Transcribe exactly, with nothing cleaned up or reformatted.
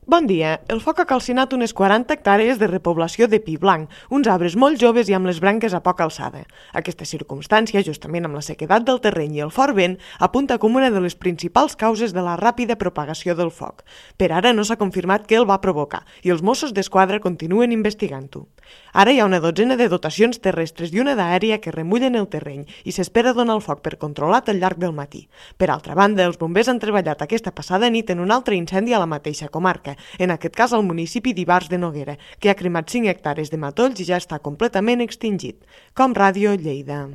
Bon dia. El foc ha calcinat unes quaranta hectàrees de repoblació de pi blanc, uns arbres molt joves i amb les branques a poca alçada. Aquesta circumstància, justament amb la sequedat del terreny i el fort vent, apunta com una de les principals causes de la ràpida propagació del foc. Per ara no s'ha confirmat què el va provocar i els Mossos d'Esquadra continuen investigant-ho. Ara hi ha una dotzena de dotacions terrestres i una d'aèria que remullen el terreny i s'espera donar el foc per controlat al llarg del matí. Per altra banda, els bombers han treballat aquesta passada nit en un altre incendi a la mateixa comarca, en aquest cas al municipi d'Ivars de Noguera, que ha cremat cinc hectàrees de matolls i ja està completament extingit. Com Ràdio Lleida.